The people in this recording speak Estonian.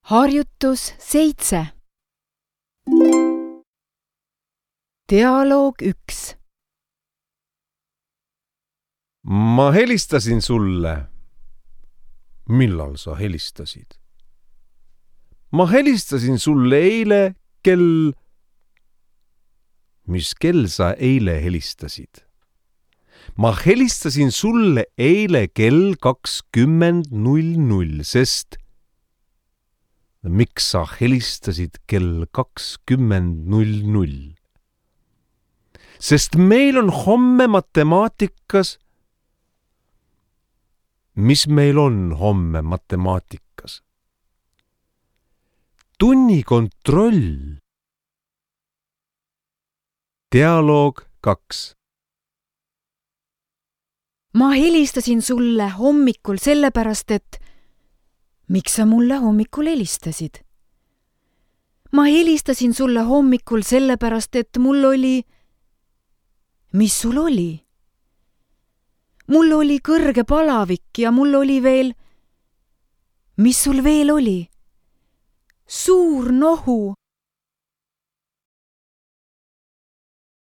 Harjutus 7. Dialoog 1. Ma helistasin sulle. Millal sa helistasid? Ma helistasin sulle eile kell... Mis kell sa eile helistasid? Ma helistasin sulle eile kell 20:00, sest... Miks sa helistasid kell 20:00? Sest meil on homme matemaatikas. Mis meil on homme matemaatikas? Tunnikontroll. Dialoog 2. Ma helistasin sulle hommikul sellepärast, et... Miks sa mulle hommikul helistasid? Ma helistasin sulle hommikul sellepärast, et mul oli... Mis sul oli? Mul oli kõrge palavik ja mul oli veel... Mis sul veel oli? Suur nohu.